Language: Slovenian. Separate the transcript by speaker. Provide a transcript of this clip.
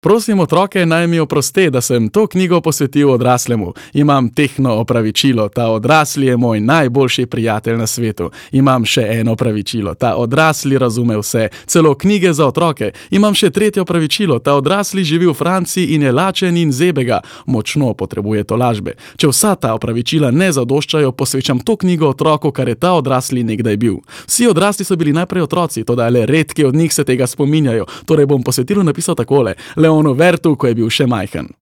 Speaker 1: Prosim otroke, naj mi oproste, da sem to knjigo posvetil odraslemu. Imam tehno opravičilo, ta odrasli je moj najboljši prijatelj na svetu. Imam še eno opravičilo, ta odrasli razume vse, celo knjige za otroke. Imam še tretje opravičilo, ta odrasli živi v Franciji in je lačen in zebega. Močno potrebuje tolažbe. Če vsa ta opravičila ne zadoščajo, posvečam to knjigo otroku, kar je ta odrasli nekdaj bil. Vsi odrasli so bili najprej otroci, toda le redki od njih se tega spominjajo. Torej bom posvetilu napisal takole: Leonu Vertu, ko je bil še majhen.